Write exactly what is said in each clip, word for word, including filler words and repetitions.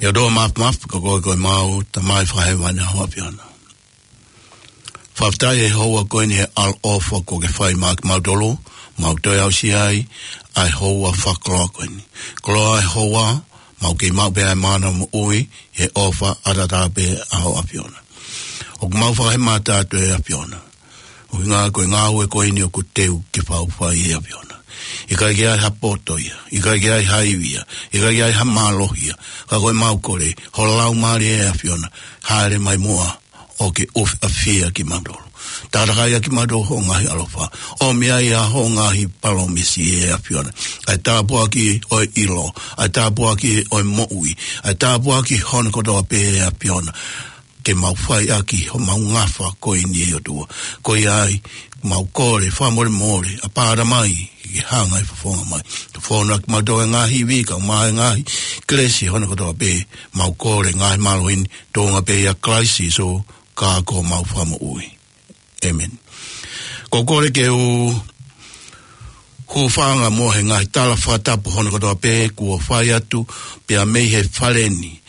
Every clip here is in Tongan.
ʻOtua Māfimafi, ko koe ko ʻemau Tamai Fakahēvani ʻa ho ʻAfiona. Fakafetaʻi he houa ko eni he ʻaloʻofa kuo ke fai maʻa kimautolu, mau toe aʻusia ai ʻa e houa fakakoloa ko eni. Koloa e houa, mau kei maʻu pē ʻa e mana moʻui, he ʻofa ʻataʻatā pē ʻa ho ʻAfiona. ʻOku mau fakahēmata atu ʻe ʻAfiona. ʻUhinga ko e ngāue ko eni ʻoku teu ke fai ʻe ʻAfiona. ʻIkai ke ʻi ai ha poto ia, ʻikai ke ʻi ai ha ivi ia, ʻikai ke ʻi ai ha mālohi ia. Ka ko ʻemau kole, ho Laumālie ʻe ʻAfiona, hāʻele mai muʻa ʻo ke ʻufiʻafia kimautolu. Takatakai ʻaki kimautolu ho ngaahi ʻaloʻofa. ʻOmi ai ʻa ho ngaahi palōmesi ʻe ʻAfiona. ʻA e tāpuaki ʻo e ʻilo, ʻa e tāpuaki ʻo e moʻui, ʻa e tāpuaki hono kotoa pē ʻe ʻAfiona. Ke mau fai ʻaki homau ngafa ko eni ʻe ʻOtua. Ko ia ai, mau kole, fakamolemole, ʻApā Tamai, ke hanga ʻe he fofonga mai. Ke fono ʻaki kimautolu e ngaahi ivi, kae ʻumaʻā e ngaahi kelesi hono kotoa pē, mau kole, ngaahi mālohi ni, tuʻunga pē ʻia Kalaisi Sīsū, ka ko homau Fakamoʻui. ʻĒmeni. Ko e kole ke u hūfanga muʻa he ngaahi tala fakatapu hono kotoa pē kuo fai atu pea mei he fale ni.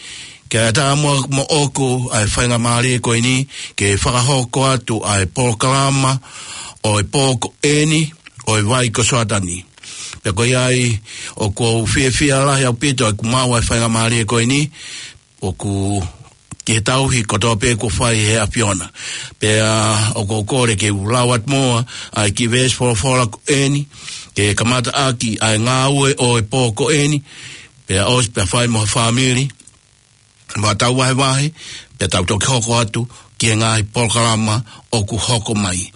Ke ʻatā muʻa moʻoku ʻa e faingamālie ko eni ke fakahoko atu ʻa e polokalama ʻo e pō ko eni ʻo e Vai ko Soatani. Pea ko ia ai ʻoku ou fiefia lahi ʻaupito ʻeku maʻu ʻa e faingamālie ko eni ʻoku ki he tauhi kotoa pē kuo fai ʻe he ʻAfiona. Pea ʻoku ou kole ke u lau atu muʻa ʻa e kiʻi veesi folofola ko eni, ke kamata ʻaki ʻa e ngāue ʻo e pō ko eni, pea ʻosi pea fai mo ha fāmili, mo ha tau vahevahe, pea tau toki hoko atu ki he ngaahi polokalama ʻoku hoko mai.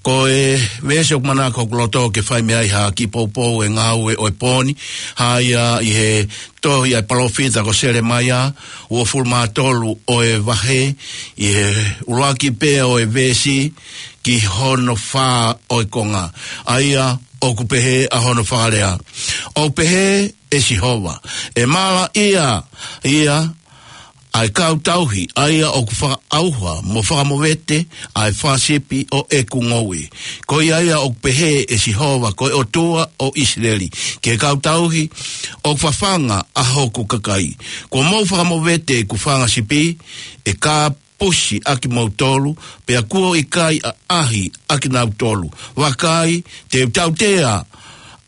Ko e veesi ʻoku manako hoku loto ke fai mei ai ha kiʻi poupou ʻo e ngāue ʻo e pō ni, ʻa ia ʻi he tohi ʻa e palōfita ko Selemaia, uofulu mā tolu ʻo e vahe, ʻi he ʻuluaki pē ʻo e veesi ki hono fā ʻo e konga. ʻA ia ʻoku pehē ʻa hono fakalea. ʻOku pehē ʻe Sihova, ʻe malaʻia ia ʻa e kau tauhi, ʻa ia ʻoku fakaʻauha mo fakamovete ʻa e fanga sipi ʻo ʻeku ngoue. Ko ia ia ʻoku pehē ʻe Sihova ko e ʻOtua ʻo ʻIsileli, ki he kau tauhi ʻoku fafanga ʻa hoku kakai. Kuo mou fakamovete ʻeku fanga sipi, ʻe kāpusi ʻakimoutolu, pea kuo ʻikai ʻaʻahi ʻakinautolu. Vakai, te u tautea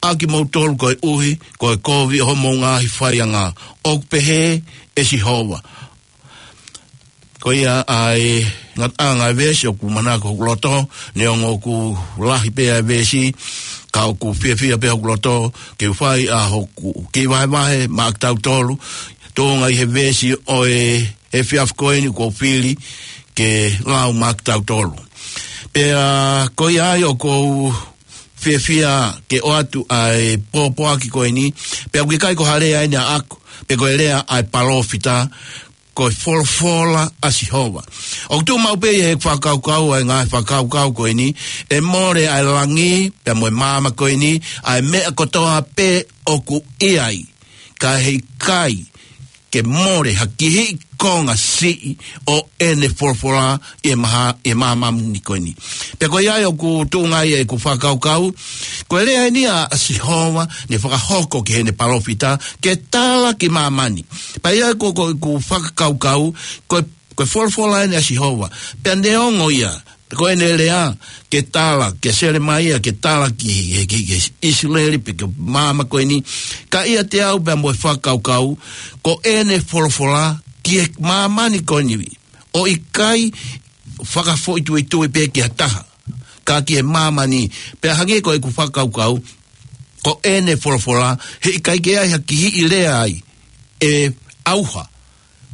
ʻakimoutolu koeʻuhi ko e kovi ʻo homou ngaahi faianga, ʻoku pehē ʻe Sihova. Ko ia ʻa e ngataʻanga ʻo e veesi ʻoku manako hoku loto, neongo ʻoku lahi pē ʻa e veesi, ka ʻoku fiefia pē hoku loto ke u fai ʻa hoku kiʻi vahevahe maʻa kitautolu, tuʻunga ʻi he veesi ʻo e efiafi ko eni kuo u fili ke lau maʻa kitautolu. Pea ko ia ai ʻoku ou fiefia ke ʻoatu ʻa e pōpoaki ko eni, pea ʻoku ʻikai ko ha lea eni ʻaʻaku, pe ko e lea ʻa e palōfita, ko e folofola ʻa Sihova. ʻOku tuʻu maʻu pē ʻi he fakakaukau, ʻa e ngaahi fakakaukau ko eni, ʻe mole ʻa e langi, pea mo e māmani ko eni, ʻa e meʻa kotoa pē ʻoku ʻi ai. Ka heʻikai ke mole ha kihiʻi konga siʻi ʻo ʻene folofola ʻi he maha, ʻi he māmani ko eni. Pea ko ia ai ʻoku tuʻunga ai ʻeku fakakaukau, ko e lea eni ʻa Sihova, ne fakahoko ki heʻene palōfita, ke tala ki māmani. Pea ia ko, ko ʻeku fakakaukau, ko e, ko e folofola eni ʻa Sihova. Pea neongo ia, ko ʻene lea, ke tala, ke Selemaia, ke tala ki, ki, ki, ki ʻIsileli, pe ki māmani ko eni, ka ʻiate au pea mo e fakakaukau, ko ʻene folofola, ki he māmani ko eni, ʻo ʻikai fakafoʻituitui pē ki ha taha, ka ki he māmani, pea hangē ko ʻeku fakakaukau, ko ʻene folofola, heʻikai ke ʻi ai ha kihiʻi lea ai, ʻe ʻauha,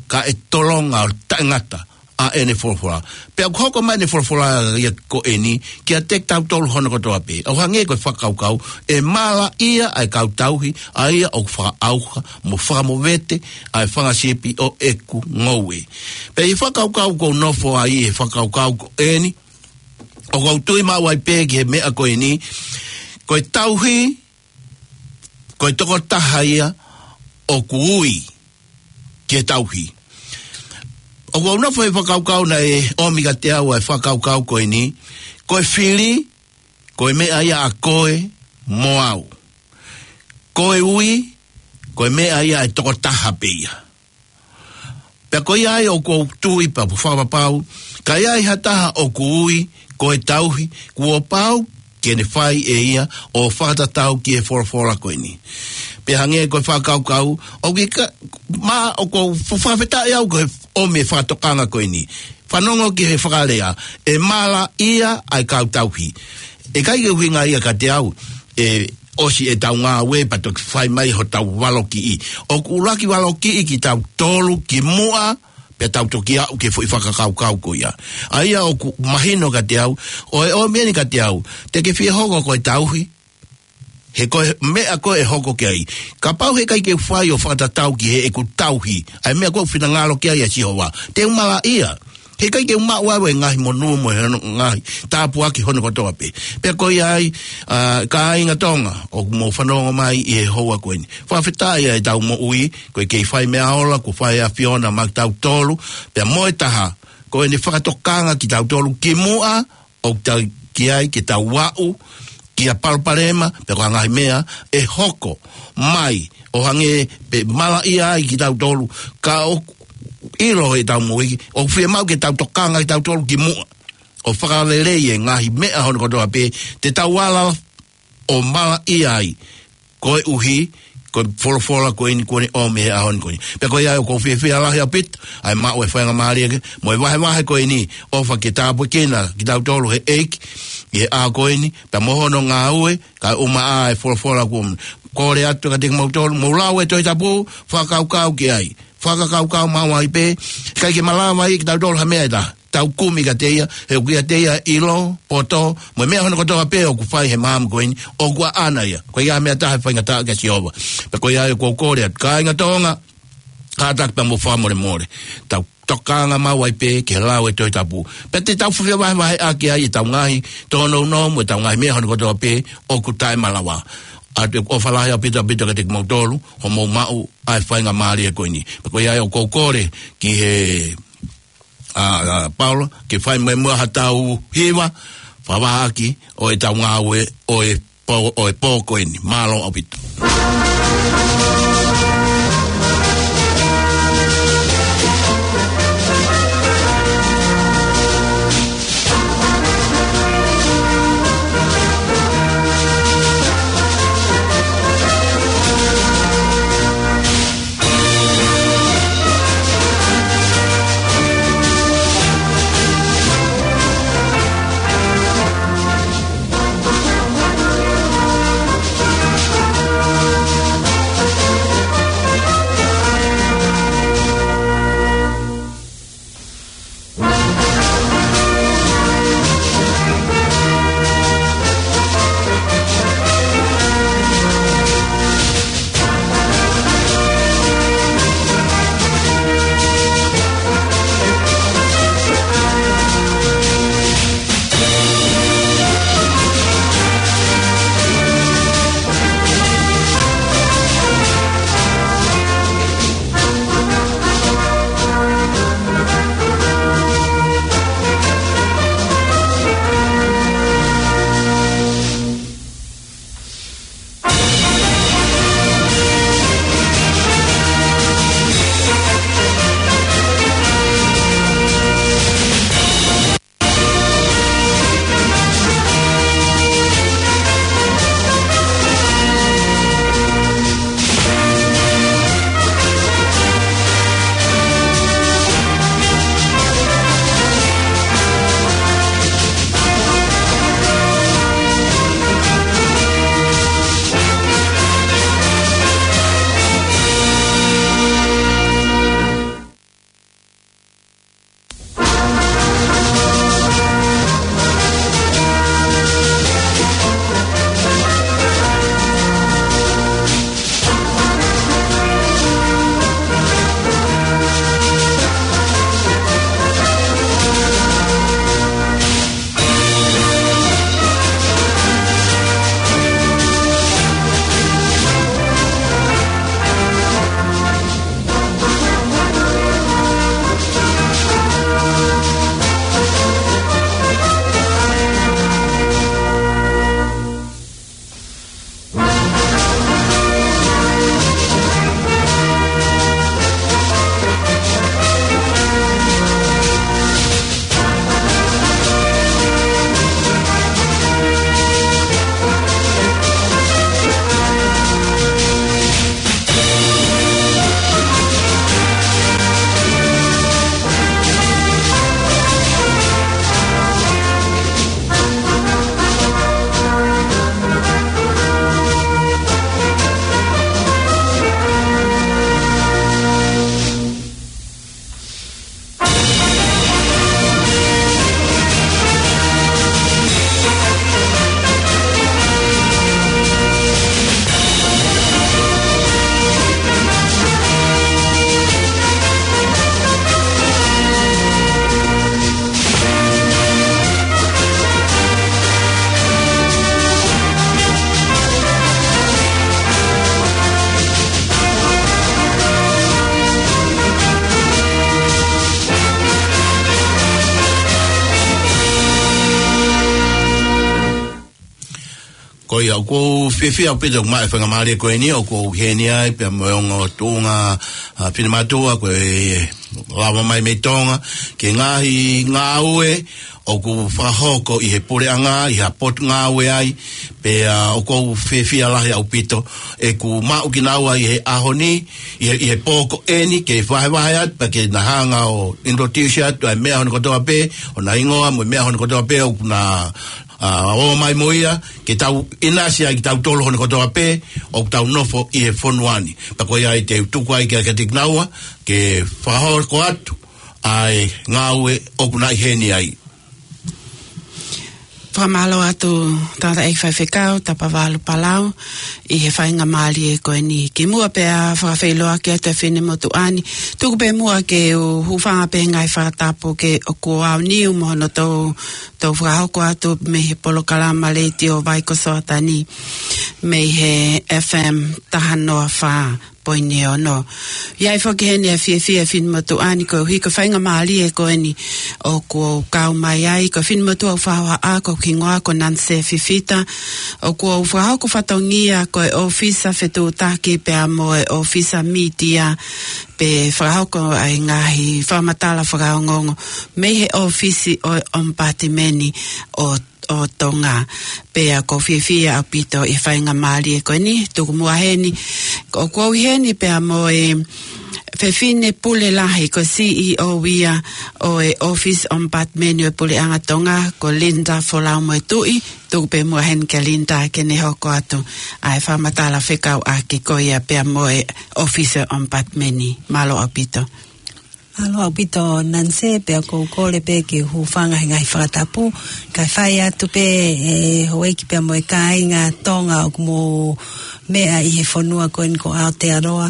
ka ʻe tolonga ʻo taʻengata ʻa ʻene folofola. Pea ʻoku hoko mai ʻene folofola ia ko eni, kiate kitautolu hono kotoa pē. ʻO hangē ko e fakakaukau, ʻe malaʻia ʻa e kau tauhi, ʻa ia ʻoku fakaʻauha, mo fakamovete, ʻa e fanga sipi ʻo ʻeku ngoue. Pea ʻi he fakakaukau ʻoku ou nofo ai, ʻi he fakakaukau ko eni, ʻoku ou tui maʻu ai pē ki he meʻa ko eni, ko e tauhi, ko e tokotaha ia ʻoku ui ke tauhi. ʻOku ou nofo he fakakaukau naʻe ʻomi kiate au ʻa e fakakaukau ko eni, ko e fili, ko e meʻa ia ʻa koe mo au. Ko e ui, ko e meʻa ia ʻa e tokotaha pē ia. Pea ko ia ai ʻoku ou tui pea mo fakapapau, ka ʻi ai ha taha ʻoku ui ko e tauhi, kuo pau ke ne fai ʻe ia ʻo fakatatau ki he folofola ko eni. Pea hangē ko e fakakaukau, ʻoku ʻikai, ma, ʻoku ou fu-, fakafetaʻi au ko e ʻomi e fakatokanga ko eni. Fanongo ki he fakalea, ʻe malaʻia ʻa e kau tauhi. ʻIkai ke ʻuhinga ia kiate au, ʻe ʻosi ʻetau ngāue pea toki fai mai hotau valokiʻi. ʻOku ʻuluaki valokiʻi kitautolu kimuʻa, pea tau toki aʻu ki he foʻi fakakaukau ko ia. ʻA ia ʻoku mahino kiate au, ʻo e ʻomi eni kiate au, te ke fie hoko ko e tauhi, he ko e meʻa ko ē ʻe hoko ki ai. Kapau heʻikai ke u fai ʻo fakatatau ki heʻeku tauhi ʻa e meʻa ko ē ʻoku finangalo ki ai ʻa Sihova, te u malaʻia. Heʻikai ke u maʻu au e ngaahi monū mo e hono ngaahi tāpuaki hono kotoa pē. Pea ko ia ai, ʻa, kāinga Tonga, ʻoku mou fanongo mai ʻi he houa ko eni. Fakafetaʻi ʻa ʻetau moʻui, ko e kei fai meʻa ola, kuo fai ʻe he ʻAfiona maʻa kitautolu, pea mo e taha, ko ʻene fakatokanga kitautolu kimuʻa, ʻoku tau ki ai ke tau aʻu ki ha palopalema, pe ko ha ngaahi meʻa ʻe hoko mai, ʻo hangē pē malaʻia ai kitautolu, ka ʻoku ʻilo ʻetau moʻui, ʻoku fiemaʻu ke tau tokanga kitautolu kimuʻa, ʻo fakalelei e ngaahi meʻa hono kotoa pē, te tau ala ʻo malaʻia ai, koeʻuhi ko e folofola ko eni kuo ne ʻomi he ʻaho ni ko eni. Pea ko ia ʻoku ou fiefia lahi ʻaupito, ʻa e maʻu e faingamālie ke, mo e vahevahe ko eni, ʻofa ke tāpuekina kitautolu he ʻEiki, ʻi he ʻaho ko eni, pea mo hono ngāue, kae ʻumaʻā e folofola kuo kole atu kiate kimoutolu, mou lau e Tohi Tapu, fakakaukau ki ai. Fakakaukau maʻu ai pē, ʻikai ke malava ia kitautolu ha meʻa ʻe taha. Tau kumi kiate ia, he ʻoku ʻiate ia ʻilo, poto, mo e meʻa hono kotoa pē ʻoku fai he māmani ko eni, ʻoku ʻaʻana ia. Ko ia meʻa taha ʻe faingataʻa kia Sihova. Pea ko ia ʻoku ou kole atu, kāinga Tonga, kātaki pea mo fakamolemole. Tau tokanga maʻu ai pē ki he lau e Tohi Tapu. Pea te tau fuʻu vahevaheʻaki ai ʻetau ngaahi tōnounou mo ʻetau ngaahi meʻa hono kotoa pē ʻoku taʻemalava. ʻA ia ʻoku ou ʻofa lahi ʻaupito ʻaupito kiate kimoutolu, hoʻomou maʻu ʻa e faingamālie ko eni. Pea ko ia ʻoku ou kole ki he ʻa, ʻa, Paula, ke fai mai muʻa haʻatau hiva, fakavahaʻaki ʻo ʻetau ngāue ʻo e pō, ʻo e pō ko eni. Mālō ʻaupito. ʻIo, ʻoku ou fiefia ʻaupito ʻoku maʻu e faingamālie ko eni, ʻoku ou ʻi heni ai pea mo e ongo tuʻunga, ʻa, finemātuʻa ko e lava mai mei Tonga, ki he ngaahi ngāue ʻoku fakahoko ʻi he puleʻanga, ʻi ha potu ngāue ai, pea ʻoku ou fiefia lahi ʻaupito ʻeku maʻu kinaua ʻi he ʻaho ni, ʻi he, ʻi he pō ko eni, ke vahevahe atu, pea ke na hanga ʻo introduce atu ʻa e meʻa hono kotoa pē, ʻo na hingoa mo e meʻa hono kotoa pē, ʻoku na, ʻa, ō mai mo ia, ke tau ʻinasi ai kitautolu hono kotoa pē, ʻoku tau nofo ʻi he fonua ni. Pea ko ia ai te u tuku ai kia, kia Tikinaua, ke fakahoko atu ʻa e ngāue ʻoku na ʻi heni ai. Fakamālō atu tangataʻeiki faifekau, Tapavalu Palau, ʻi he faingamālie ko eni. Kimuʻa pea fakafeʻiloaki atu e finemotuʻa ni, tuku pē muʻa ke u hūfanga pē he ngaahi fakatapu ke ʻoku ʻaoniu mo hono tou, tou fakahoko atu mei he polokalama letiō Vai ko Soatani, mei he F M taha noa fā poini ono. ʻI ai foki heni e fiefia e finemotuʻa ni koeʻuhi ko e faingamālie ko eni ʻoku ou kau mai ai, ko e finemotuʻa ʻoku fakahohaʻa, ko hoku hingoa ko Nanse Fifita, ʻoku ou fakahoko fatongia ko e ʻōfisa fetuʻutaki pea mo e ʻōfisa mītia, pea fakahoko ai ngaahi fakamatala fakaongoongo mei he ʻōfisi ʻo e ʻOmipatimeni ʻo ʻo Tonga. Pea ʻoku ou fiefia ʻaupito ʻi he faingamālie ko eni, tuku muʻa heni. ʻOku ou ʻi heni pea mo e fefine pule lahi ko e C E O ia ʻo e ʻōfisi ʻOmipatimeni ʻo e Puleʻanga Tonga, ko Linda Folau Moetuʻi, tuku pē muʻa heni kia Linda ke ne hoko atu ʻa e fakamatala fekauʻaki ko ia pea mo e ʻōfisi ʻOmipatimeni. Mālō ʻaupito. Mālō ʻaupito Nanse, pea ʻoku ou kole pē ke hūfanga he ngaahi fakatapu, kae fai atu pē ʻe houʻeiki pea mo e kāinga Tonga ʻoku mou meʻa ʻi he fonua ko eni ko Aotearoa,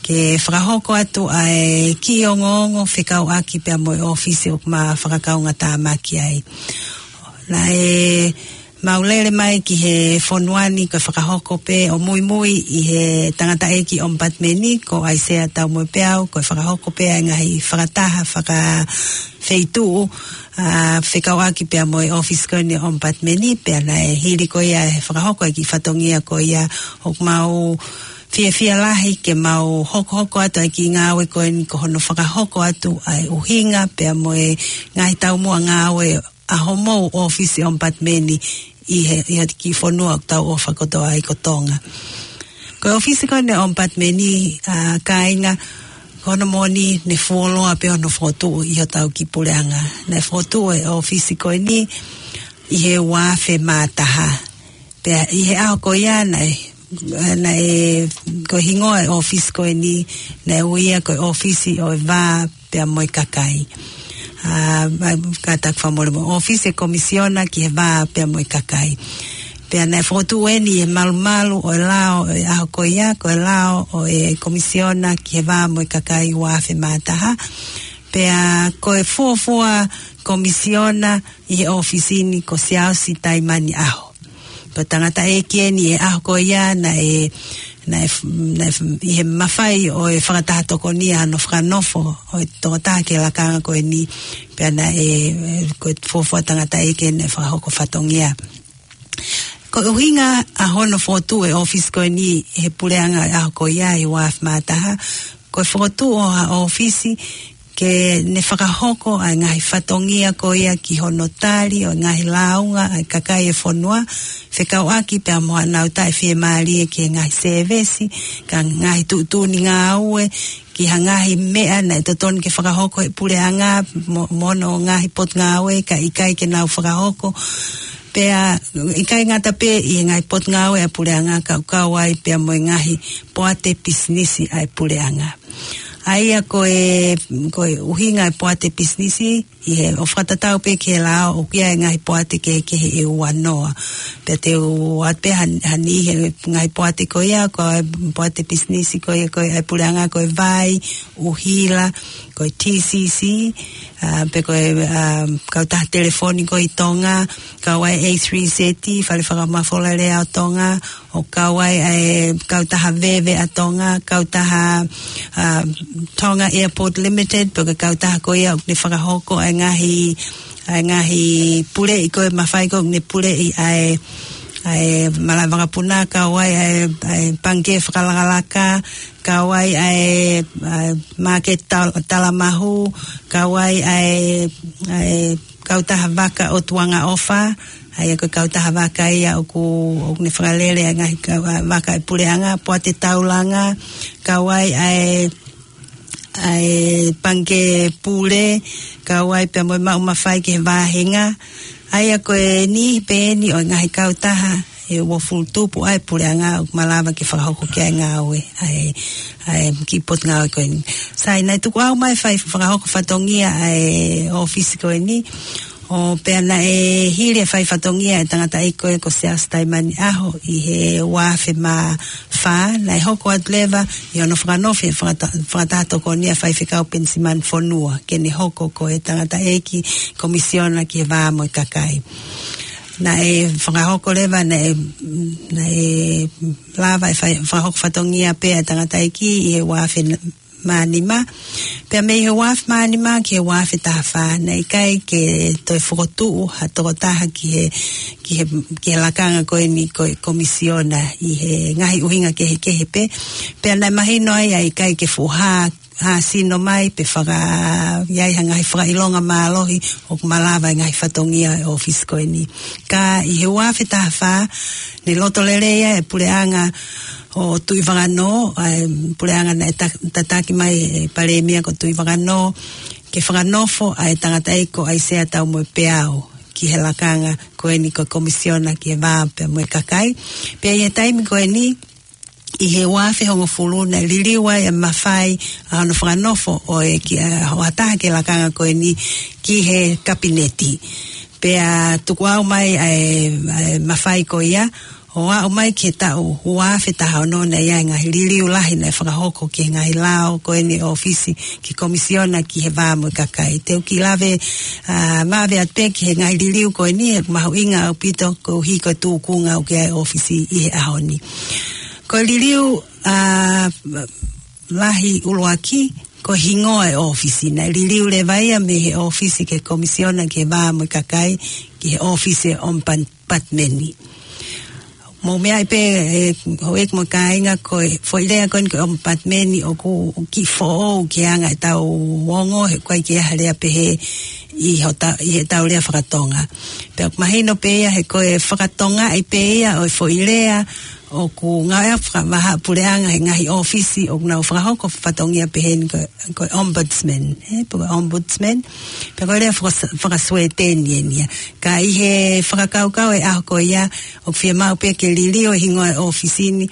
ke fakahoko atu ʻa e kiʻi ongoongo fekauʻaki pea mo e ʻōfisi ʻoku ma fakakaungātāmaki ai. Naʻe mau lele mai ki he fonua ni ko e fakahoko pē ʻo muimui ʻi he tangataʻeiki ʻOmipatimeni ko ʻAisea Taumoepeau, ko e fakahoko pē ʻa e ngaahi fakataha fakafeituʻu, ʻa, fekauʻaki pea mo e ʻōfisi ko eni ʻOmipatimeni, pea naʻe hili ko ia he fakahoko e kiʻi fatongia ko ia, ʻoku mau fiefia lahi ke mau hokohoko atu ʻa e kiʻi ngāue ko eni ko hono fakahoko atu ʻa e ʻuhinga pea mo e ngaahi taumuʻa ngāue ʻa homou ʻōfisi ʻOmipatimeni ʻi he, ʻi he kiʻi fonua ʻoku tau ʻofa kotoa ai ko Tonga. Ko e ʻōfisi ko eni ʻOmipatimeni, ʻa, kāinga, ko hono moʻoni ne fuoloa pē hono fokotuʻu ʻi hotau kiʻi puleʻanga. Naʻe fokotuʻu e ʻōfisi ko eni ʻi he ua afe mā taha. Pea ʻi he ʻaho ko ia naʻe, naʻe, ko e hingoa e ʻōfisi ko eni, naʻe ui ia ko e ʻōfisi ʻo e vā pea mo e kakai. ʻA, ʻa, kātaki fakamolemole, ʻōfisi e komisiona ki he vā pea mo e kakai. Pea naʻe fokotuʻu eni ʻi he malumalu ʻo e lao ʻo e ʻaho ko ia, ko e lao ʻo e komisiona ki he vā mo e kakai ua afe mā taha. Pea ko e fuofua komisiona ʻi he ʻōfisi ni ko Siaosi Taimani ʻAho. Ko e tangataʻeiki eni ʻi he ʻaho ko ia naʻe, naʻe, naʻe ʻi he mafai ʻo e fakataha tokonia hono fakanofo ʻo e tokotaha ki he lakanga ko eni, pea naʻe, ko e fuofua tangataʻeiki eni naʻe fakahoko fatongia. Ko e ʻuhinga ʻa hono fokotuʻu e ʻōfisi ko eni he puleʻanga ʻi he ʻaho ko ia ʻi he ua afe mā taha, ko e fokotuʻu ʻo ha ʻōfisi ke ne fakahoko ʻa e ngaahi fatongia ko ia ki hono tali ʻo e ngaahi lāunga ʻa e kakai e fonua, fekauʻaki pea mo haʻanau taʻefiemālie ki he ngaahi sēvesi, kae ngaahi tuʻutuʻuni ngāue, ki ha ngaahi meʻa naʻe totonu ke fakahoko he puleʻanga mo, mo hono ngaahi potungāue kae ʻikai ke nau fakahoko. Pea ʻikai ngata pē ʻi he ngaahi potungāue ʻa e puleʻanga, ka ʻoku kau ai pea mo e ngaahi poate pisinisi ʻa e puleʻanga. ʻA ia ko e, ko e ʻuhinga e poate pisinisi, ʻi he ʻo fakatatau pē ki he lao, ʻoku ʻi ai e ngaahi poate kehekehe ʻe ua noa. Pea te u ʻoatu pē ha, ha niʻihi he ngaahi poate ko ia, ko e poate pisinisi ko ia, ko e ʻa e puleʻanga ko e vai, ʻuhila, ko e T C C, ʻa, pe ko e, ʻa, kautaha telefoni ko ē ʻi Tonga, kau ai e A three Z, Fale Fakamafola Lea ʻo Tonga, ʻo kau ai ʻa e kautaha veve ʻa Tonga, kautaha, ʻa, Tonga Airport Limited, pe ko e kautaha ko ia ʻoku ne fakahoko ʻa e ngaahi, ʻa e ngaahi puleʻi ko ē mafai ko ē ʻoku ne puleʻi ʻa e, ʻa e malava vakapuna, kau ai ʻa e, ʻa e pangikē fakalakalaka, kau ai ʻa e, ʻa e māketi tal-, talamahu, kau ai ʻa e, ʻa e kautaha vaka ʻo Tuʻangaʻofa, ʻa ia ko e kautaha vaka ia ʻoku, ʻoku ne fakalele ʻa e ngaahi kau-, ʻa, vaka ʻa e puleʻanga, Poate Taulanga, kau ai ʻa e, ʻa e pangikē pule, kau ai pea mo e maʻu mafai ki he vāhenga. ʻA ia ko e niʻihi pē eni ʻo e ngaahi kautaha ʻe uofulu tupu ʻa e puleʻanga ʻoku malava ke fakahoko ki ai e ngāue ʻa e, ʻa e kiʻi potungāue ko eni. Sai, naʻe tuku ʻau mai fai fakahoko fatongia ʻa e ʻōfisi ko eni, ʻo pea naʻe hili e fai fatongia ʻa e tangataʻeiki ko ē ko Siaosi Taimani ʻAho ʻi he ua afe mā fā, naʻe hoko atu leva ʻi hono fakanofo ʻe he fakata-, fakataha tokoni ʻa Faifekau Penisimani Fonua ke ne hoko ko e tangataʻeiki komisiona ki he vā mo e kakai. Naʻe fakahoko leva, naʻe, naʻe lava e fai-, fakahoko fatongia pē ʻa e tangataʻeiki ʻi he ua afe mā nima. Pea mei he ua afe mā nima ki he ua afe taha fā, naʻe ʻikai ke toe fokotuʻu ha tokotaha ki he, ki he, ki he lakanga ko eni ko e komisiona ʻi he ngaahi ʻuhinga kehekehe pē. Pea naʻe mahino ai ʻa e ʻikai ke fuʻu hā, hā sino mai pe faka-, ʻi ai ha ngaahi fakaʻilonga mālohi ʻoku malava e ngaahi fatongia ʻo e ʻōfisi ko eni. Ka ʻi he ua afe taha fā, ne loto lelei ai e puleʻanga ʻo Tuʻivakanō, ʻa e puleʻanga naʻe ta-, tataki mai ʻe he Palēmia ko Tuʻivakanō, ke fakanofo ʻa e tangataʻeiki ko ʻAisea Taumoepeau ki he lakanga ko eni ko e komisiona ki he vā pea mo e kakai. Pea ʻi he taimi ko eni, ʻi he ua afe hongofulu, naʻe liliu ai e mafai ʻa hono fakanofo ʻo e ki-, ʻa, ʻo ha taha ki he lakanga ko eni ki he kapineti. Pea tuku ʻau mai ʻa e, ʻa e mafai ko ia, ʻo aʻu mai ki he taʻu ua afe taha ono naʻe ʻi ai e ngaahi liliu lahi naʻe fakahoko ki he ngaahi lao ko eni ʻōfisi ki he komisiona ki he vā mo e kakai. Te u kiʻi lave, ʻa, vave atu pē ki he ngaahi liliu ko eni, he ʻoku mahuʻinga ʻaupito koeʻuhi ko e tūkunga ʻoku ʻi ai e ʻōfisi ʻi he ʻaho ni. Ko e liliu, ʻa, lahi ʻuluaki, ko e hingoa e ʻōfisi. Naʻe liliu leva ia mei he ʻōfisi ki he komisiona ki he vā mo e kakai, ki he ʻōfisi ʻo e ombudsman. Mou meaʻi pē, ʻe, houʻeiki mo e kāinga, ko e foʻi lea ko eni ko e ombudsman ʻoku kiʻi foʻou ki he anga ʻetau ongo, he ʻoku ʻikai ke ʻi ai ha lea pehē ʻi hota-, ʻi heʻetau lea fakatonga. Pea ʻoku mahino pē ia he ko e fakatongaʻi pē ia ʻo e foʻi lea ʻoku ngāueʻaki fakavahaʻapuleʻanga he ngaahi ʻōfisi ʻoku nau fakahoko fatongia pehē ni ko, ko e ombudsman, ē, pe ko e ombudsman, pe ko e lea fakas-, faka-Suēteni eni ia. Ka ʻi he fakakaukau e ʻaho ko ia, ʻoku fiemaʻu pē ke liliu e hingoa e ʻōfisi ni,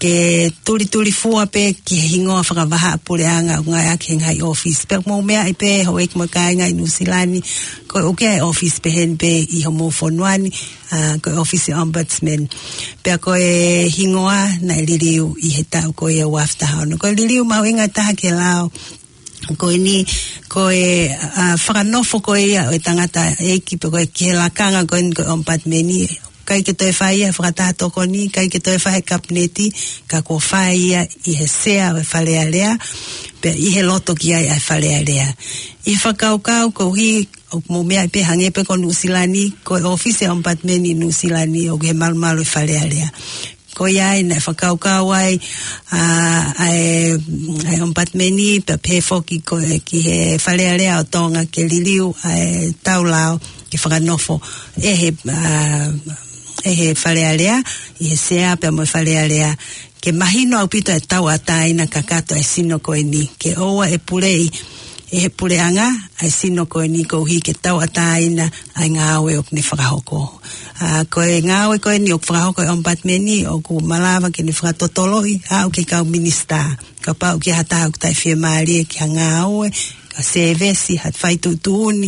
ke tulitulifua pē ki he hingoa fakavahaʻapuleʻanga ʻoku ngāueʻaki he ngaahi ʻōfisi. Pea mou meaʻi pē houʻeiki mo e kāinga ʻi Nuʻusila ni, ko e ʻuhinga e ʻōfisi pehē ni pē ʻi homou fonua ni, ʻa, ko e ʻōfisi ombudsman. Pea ko e hingoa naʻe liliu ʻi he taʻu ko ia ua afe taha ono. Ko e liliu mahuʻinga taha ki he lao ko eni, ko e, ʻa, fakanofo ko ia ʻo e tangataʻeiki pe ko e ki he lakanga ko eni ko e ombudsman, ʻikai ke toe fai ia he fakataha tokoni, ʻikai ke toe fai he kapineti, ka kuo fai ia ʻi he sea ʻo e Fale Alea, pea ʻi he loto ki ai ʻa e Fale Alea. ʻI he fakakaukau koeʻuhi ʻoku mou meaʻi pē hangē pē ko Nuʻusila ni, ko e ʻōfisi e ombudsman ʻi Nuʻusila ni ʻoku ʻi he malumalu e Fale Alea. Ko ia ai naʻe fakakaukau ai, ʻa, ʻa e, ʻa e ombudsman pea pehē foki ko e ki he Fale Alea ʻo Tonga ke liliu ʻa ʻetau lao ke fakanofo ʻe he, ʻa, ʻe he Fale Alea, ʻi he sea pea mo e Fale Alea, ke mahino ʻaupito e tauʻatāina kakato e sino ko eni, ke ʻoua ʻe puleʻi ʻe he puleʻanga ʻa e sino ko eni koeʻuhi ke tauʻatāina ʻa e ngāue ʻoku ne fakahoko. ʻA, ko e ngāue ko eni ʻoku fakahoko e ombudsman ʻoku malava ke ne fakatotoloʻi aʻu ki he kau minisitā. Kapau ʻoku ʻi ai ha taha ʻoku taʻefiemālie ki ha ngāue, ha sēvesi, ha fai tuʻutuʻuni,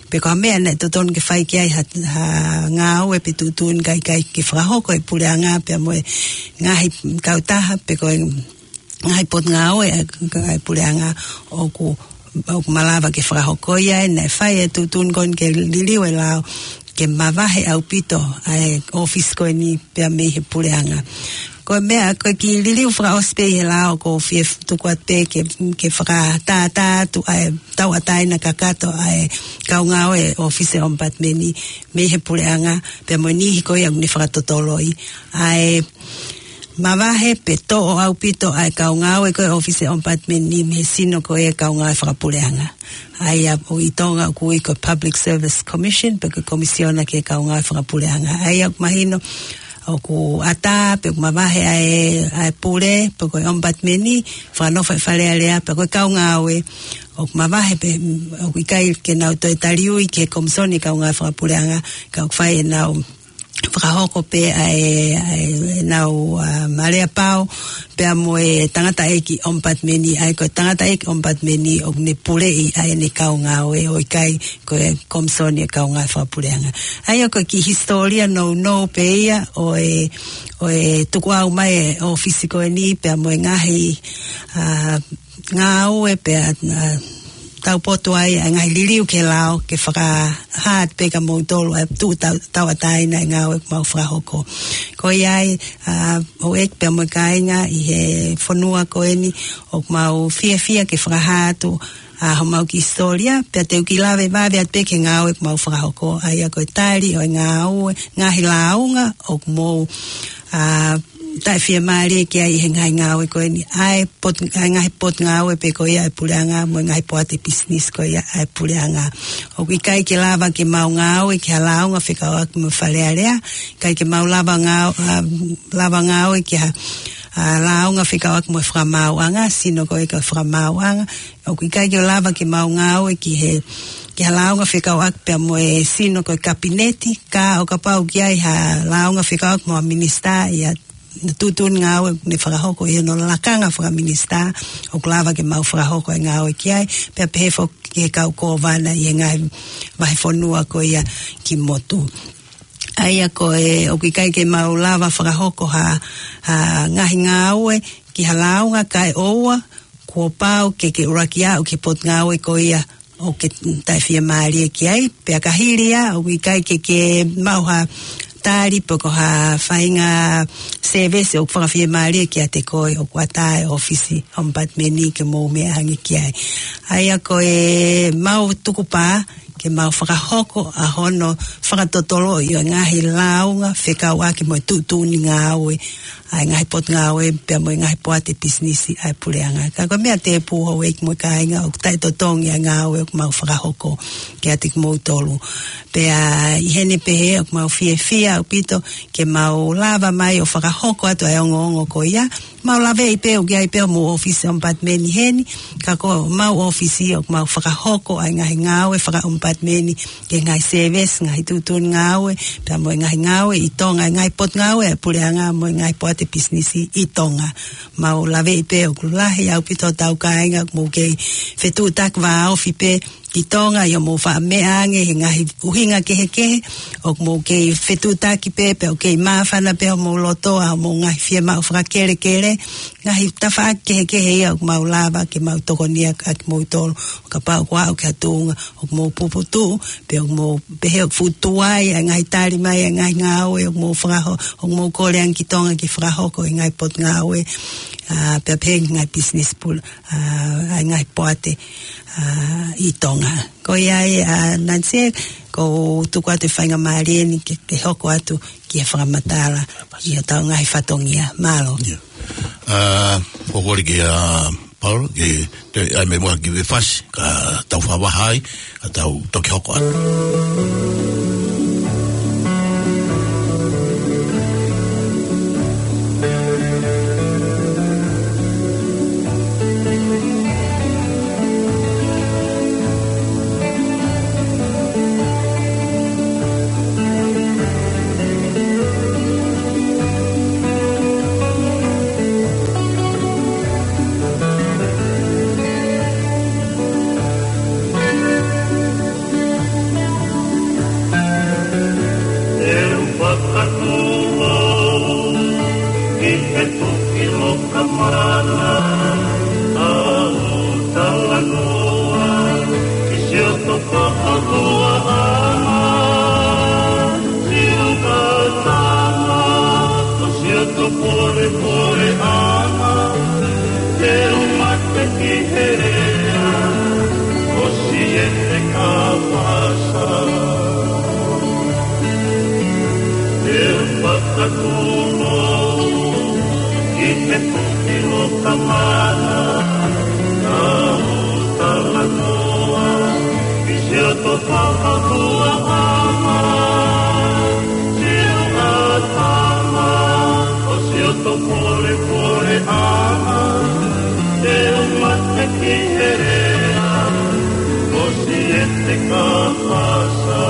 pe ko ha meʻa naʻe totonu ke fai ki ai ha, ha ngāue pe tuʻutuʻuni ka ʻikai ke fakahoko ʻe he puleʻanga pea mo e ngaahi kautaha, pe ko e ngaahi potungāue ʻa e, ʻa e puleʻanga ʻoku, ʻoku malava ke fakahoko ia, ʻe naʻe fai e tuʻutuʻuni ko eni ke liliu e lao ke mavahe ʻaupito ʻa e ʻōfisi ko eni pea mei he puleʻanga. ko e meʻa, ko e kiʻi liliu fakaʻosi pē ʻi he lao, ʻoku ou fie tuku atu pē ke, ke fakatātā atu ʻa e tauʻatāina kakato ʻa e kau ngāue ʻo e ʻōfisi ʻOmipatimeni mei he puleʻanga, pea mo e niʻihi ko ia ʻoku ne fakatotoloʻi. ʻA e mavahe pe toʻo ʻaupito ʻa e kau ngāue ko ē ʻōfisi ʻOmipatimeni mei he sino ko ē kau ngāue fakapuleʻanga. ʻA ia ʻoku ʻi Tonga ʻoku ui ko e Public Service Commission, pe ko e Komisiona ki he Kau Ngāue Fakapuleʻanga. ʻA ia ʻoku mahino ʻoku ʻatā pe ʻoku mavahe ʻa e, ʻa e pule, pe ko e ʻOmipatimeni, fakanofo ʻi Fale Alea, pe ko e kau ngāue, ʻoku mavahe pe, ʻoku ʻikai ke nau toe taliui ki he Komisoni Kau Ngāue Fakapuleʻanga, ka ʻoku fai ʻenau fakahoko pē ʻa e, ʻa e, ʻenau, ʻa, maleapau, pea mo e tangataʻeiki ʻOmipatimeni, ʻa ia ko e tangataʻeiki ʻOmipatimeni ʻoku ne puleʻi ʻa ʻene kau ngāue, ʻo ʻikai ko e Komisoni ʻo e Kau Ngāue Fakapuleʻanga. ʻA ia ko e kiʻi hisitōlia nounou pē ia ʻo e, ʻo e tukuʻau mai e ʻōfisi ko eni pea mo e ngaahi, ʻa, ngāue pea, ʻa, taupotu ai ʻa e ngaahi liliu ki he lao ke fakahā atu pē kia moutolu ʻa e tuʻu tau-, tauʻatāina ʻa e ngāue ʻoku mau fakahoko. Ko ia ai, ʻa, houʻeiki pea mo e kāinga ʻi he fonua ko eni, ʻoku mau fiefia ke fakahā atu ʻa homau kiʻi hisitōlia, pea te u kiʻi lave vave atu pē ki he ngāue ʻoku mau fakahoko, ʻa ia ko e tali ʻo e ngāue, ngaahi lāunga ʻoku mou, ʻa, taʻefiemālie ki ai ʻi he ngaahi ngāue ko eni, ʻa e pot-, ʻa e ngaahi potungāue pē ko ia ʻa e puleʻanga, mo e ngaahi poate pisinisi ko ia ʻa e puleʻanga. ʻOku ʻikai ke lava ke mau ngāue ki ha lāunga fekauʻaki mo Fale Alea, ʻikai ke mau lava ngāu-, ʻa, lava ngāue ki ha, ʻa, lāunga fekauʻaki mo e fakamaauʻanga, sino ko ē ko e fakamaauʻanga, ʻoku ʻikai ke lava ke mau ngāue ki he, ki ha lāunga fekauʻaki pea mo e sino ko e Kapineti, ka ʻo kapau ʻoku ʻi ai ha lāunga fekauʻaki mo ha minisitā, ʻi ha tuʻutuʻuni ngāue ʻoku ne fakahoko ʻi hono lakanga fakaminisitā, ʻoku lava ke mau fakahoko e ngāue ki ai, pea pehē foki ki he kau kōvana ʻi he ngaahi vahefonua ko ia ki motu. ʻA ia ko e, ʻoku ʻikai ke mau lava fakahoko ha, ha ngaahi ngāue ki ha lāunga kae ʻoua kuo pau ke ke ʻuluaki aʻu ki he potungāue ko ia ʻoku ke taʻefiemālie ki ai, pea ka hili ia, ʻoku ʻikai ke ke maʻu ha tali pe ko ha faʻahinga sēvesi ʻoku fakafiemālie kiate koe, ʻoku ʻatā e ʻōfisi ʻOmipatimeni ke mou meʻa ange ki ai. ʻA ia ko e mau tukupā ke mau fakahoko ʻa hono fakatotoloʻi ʻo e ngaahi lāunga fekauʻaki mo e tuʻutuʻuni ngāue ʻa e ngaahi potungāue pea mo e ngaahi poate pisinisi ʻa e puleʻanga. Ka ko e meʻa tēpū, houʻeiki mo e kāinga, ʻoku taʻetotongi ʻa e ngāue ʻoku mau fakahoko kiate kimoutolu. Pea ʻi heʻene pehē ʻoku mau fiefia ʻaupito ke mau lava mai ʻo fakahoko atu ʻa e ongoongo ko ia. Mau laveʻi pē ʻoku ʻi ai pē homou ʻōfisi ʻOmipatimeni heni, ka ko homau ʻōfisi ʻoku mau fakahoko ʻa e ngaahi ngāue fakaʻomipatimeni ki he ngaahi sēvesi, ngaahi tuʻutuʻuni ngāue, pea mo e ngaahi ngāue ʻi Tonga, ngaahi potungāue ʻa e puleʻanga mo e ngaahi poate pisinisi ʻi Tonga. Mau laveʻi pē ʻoku lahi ʻaupito hotau kāinga ʻoku mou kei fetuʻutaki vāofi pē ʻi Tonga ʻi hoʻomou faʻa meʻa ange he ngaahi ʻuhinga kehekehe, ʻoku mou kei fetuʻutaki pē, pea ʻoku kei māfana pē homou loto ʻa hoʻomou ngaahi fiemaʻu fakakelekele, ngaahi tafaʻaki kehekehe ia ʻoku mau lava ke mau tokonia ʻaki kimoutolu, ʻo kapau ʻoku aʻu ki ha tuʻunga ʻoku mou puputuʻu, pe ʻoku mou pehē ʻoku fuʻu tuai ʻa e ngaahi tali mai ʻa e ngaahi ngāue ʻoku mou fakaho-, ʻoku mou kole ange ki Tonga ke fakahoko ʻi he ngaahi potungāue, ʻa, pea pehē ki he ngaahi pisinisi pule, ʻa, ʻa e ngaahi poate, ʻa, ʻi Tonga. Ko ia ai, ʻa, Nancy, ʻoku ou tuku atu e faingamālie ni ke, ke hoko atu ki he fakamatala ʻi hotau ngaahi fatongia. Mālō. ʻIo. ʻA, ʻoku ou kole kia Paul ke toe ʻai mai muʻa ha kiʻi veesi, ka tau fakavahaʻi, ka tau toki hoko atu. ʻE u fakatū au ʻi he tuki loka mana, ʻa ʻeku talanoa ki siʻoto fakahuaʻanga, siʻoto tama, ko siʻoto pole Ki he puki ʻo Tamana, ʻa e talanoa, ki siʻoto fakapuleʻanga, siʻo ʻatama, ʻo siʻoto polepole ʻanga, te u mate ki he lea, ʻo siʻete ka pasa.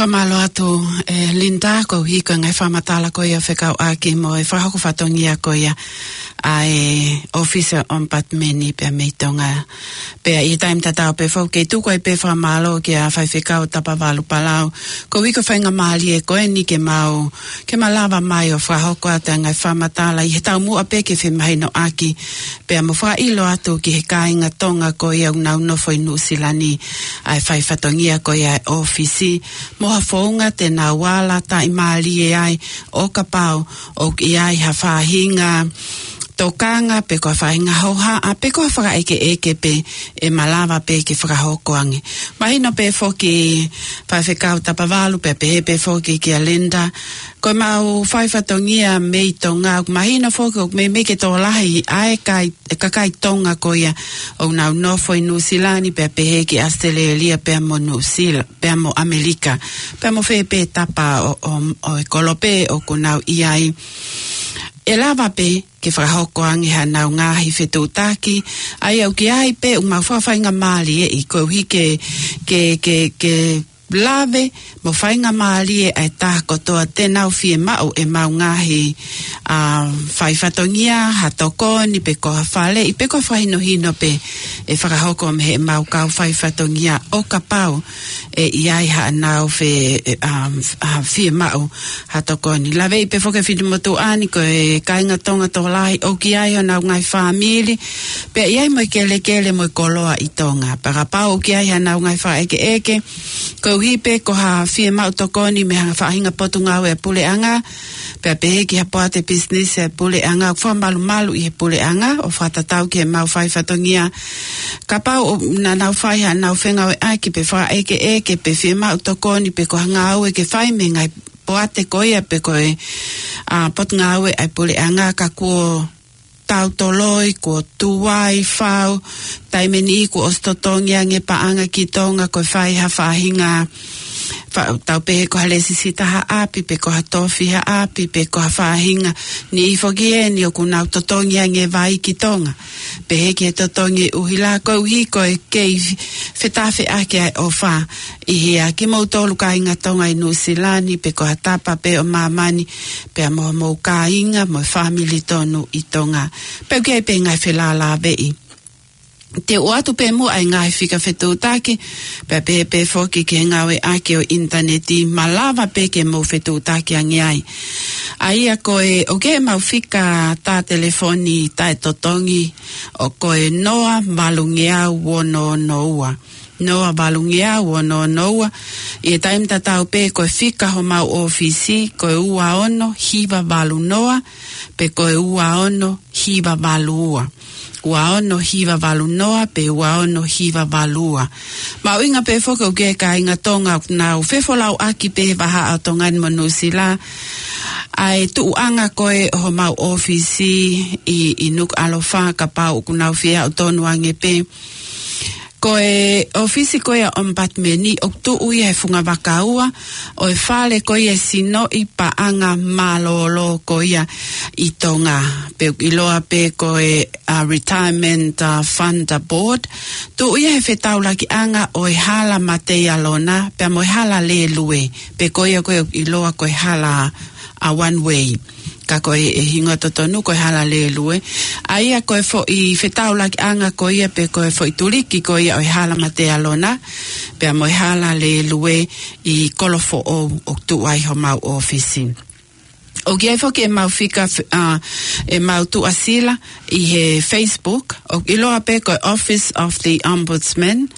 Fakamālō atu, ʻe Linda, koeʻuhi ko e ngaahi fakamatala ko ia fekauʻaki mo e fakahoko fatongia ko ia ʻa e ʻōfisi ʻo e ʻOmipatimeni pea mei Tonga. Pea ʻi he taimi tatau pē foki, tuku ai pē fakamālō kia Faifekau Tapavalu Palau. Koeʻuhi ko e faingamālie ko eni ke mau, ke malava mai ʻo fakahoko atu ʻa e ngaahi fakamatala ʻi he taumuʻa pē ke femahinoʻaki. Pea mo fakaʻilo atu ki he kāinga Tonga ko ia ʻoku nau nofo ʻi Nuʻusila ni, ʻa e fai fatongia ko ia ʻa e ʻōfisi. Mo ha founga te nau ala taʻimālie ai ʻo kapau ʻoku ʻi ai ha faʻahinga tokanga, pe ko ha faʻahinga hohaʻa, pe ko ha fakaʻekeʻeke pē ʻe malava pē ke fakahoko ange. Mahino pē foki Faifekau Tapavalu, pea pehē pē foki kia Linda, ko ʻemau fai fatongia mei Tonga, ʻoku mahino foki ʻoku meimei ke tokolahi ʻa e kai-, ʻa e kakai Tonga ko ia ʻoku nau nofo ʻi Nuʻusila ni, pea pehē ki ʻAositelēlia pea mo Nuʻusila, pea mo ʻAmelika, pea mo fē pē tapa ʻo, ʻo, ʻo e kolope ʻoku nau ʻi ai. ʻE lava pē ke fakahoko ange haʻanau ngaahi fetuʻutaki, ʻa ia ʻoku ʻi ai pē ʻemau fakafaingamālieʻi, koeʻuhi ke, ke, ke, ke lave mo faingamālie ʻa e taha kotoa te nau fiemaʻu ʻemau ngaahi, ʻa, fai fatongia, ha tokoni, pe ko ha faleʻi, pe ko ha fakahinohino pē ʻe fakahoko mei heʻemau kau fai fatongia ʻo kapau ʻe ʻi ai haʻanau fe-, ʻe, ʻa, ʻa, fiemaʻu ha tokoni. Laveʻi pē foki ʻe he finemotuʻa ni ko e kāinga Tonga tokolahi ʻoku ʻi ai honau ngaahi fāmili, pea ʻi ai mo e kelekele mo e koloa ʻi Tonga. Pea kapau ʻoku ʻi ai haʻanau ngaahi fakaʻekeʻeke, ko koeʻuhi pē ko ha fiemaʻu tokoni mei ha faʻahinga potungāue ʻa e puleʻanga, pea pehē ki ha poate pisinisi ʻa e puleʻanga, ʻoku fakamalumalu ʻi he puleʻanga, ʻo fakatatau ki heʻemau fai fatongia. Kapau ʻoku nau fai haʻanau fengāueʻaki pe fakaʻekeʻeke pe fiemaʻu tokoni pe ko ha ngāue ke fai mei he ngaahi poate ko ia pe ko e, ʻa, potungāue ʻa e puleʻanga, ka kuo tau toloi, kuo tuai fau, taimi ʻe niʻihi kuo ʻosi totongi ange paʻanga ki Tonga, ko e fai ha faʻahinga, fa-, tau pehē ko ha lēsisita ha ʻapi, pe ko ha tofi ha ʻapi, pe ko ha faʻahinga, niʻihi foki eni ʻoku nau totongi ange vai ki Tonga. Pehē ki he totongi ʻuhila, koeʻuhi ko e kei fetafeʻaki ʻa e ʻofa ʻi he ʻa kimoutolu kāinga Tonga ʻi Nuʻusila ni, pe ko ha tapa pē ʻo māmani, pea mo hoʻomou kāinga mo e fāmili tonu ʻi Tonga. Pea ʻoku ʻi ai pē ngaahi felālāveʻi. Te u ʻoatu pē muʻa ʻa e ngaahi fika fetuʻutaki, pea pehē pē foki ki he ngāueʻaki ʻo e ʻinitaneti, malava pē ke mou fetuʻutaki ange ai. ʻA ia ko e, ʻoku ʻi ai ʻemau fika tā telefoni taʻetotongi, ʻoku ko e noa valungeau ono ono ua. Noa valungeau ono ono ua. ʻI he taimi tatau pē ko e fika homau ʻōfisi, ko e ua ono hiva valu noa, pe ko e ua ono hiva valu ua. Ua ono hiva valu noa, pe ua ono hiva valu ua. Mahuʻinga pē foki ʻoku ʻi ai e kāinga Tonga ʻoku nau fefolauʻaki pē he vahaʻa ʻo Tonga ni mo Nuʻusila, ʻa e tuʻuʻanga ko ē ʻo homau ʻōfisi ʻi, ʻi Nukuʻalofa, kapau ʻoku nau fie aʻu tonu ange pē. Ko e ʻōfisi ko ia ʻo e ʻOmipatimeni ʻoku tuʻu ia he fungavaka ua ʻo e fale ko ia e sinoʻi paʻanga mālōlō ko ia ʻi Tonga. Pea ʻoku ʻiloa pē ko e, ʻa, Retirement, ʻa, Fund Board. Tuʻu ia he fetaulakiʻanga ʻo e Hala Mateialona, pea mo e hala lēlue. Pe ko ia ko ē ʻoku ʻiloa ko e hala, ʻa, one way. Ka ko e, e hingoa totonu ko e hala lēlue. ʻA ia ko e foʻi fetaulakiʻanga ko ia pe ko e foʻi tuliki ko ia ʻo e Hala Mateialona, pea mo e hala lēlue ʻi Kolofoʻou ʻoku tuʻu ai homau ʻōfisi. ʻOku ʻi ai foki ʻemau fika f-, ʻa, ʻemau tuʻasila ʻi he Facebook, ʻoku ʻiloa pē ko e Office of the Ombudsman,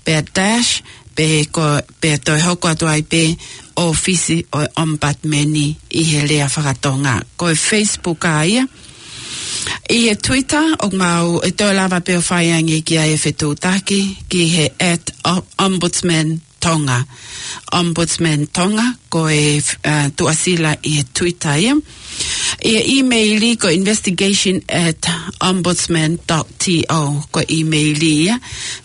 pea dash, pe ko, pea toe hoko atu ai pē ʻōfisi ʻo e ʻOmipatimeni ʻi he lea faka-Tonga. Ko e Facebook ʻa ia. ʻI he Twitter, ʻoku mau, ʻe toe lava pē ʻo fai ange ki ai e fetuʻutaki, ki he at o-, Ombudsman Tonga. Ombudsman Tonga, ko e, ʻa, tuʻasila ʻi he Twitter ia. ʻI he email ko e investigation at ombudsman dot T O, ko e email ia,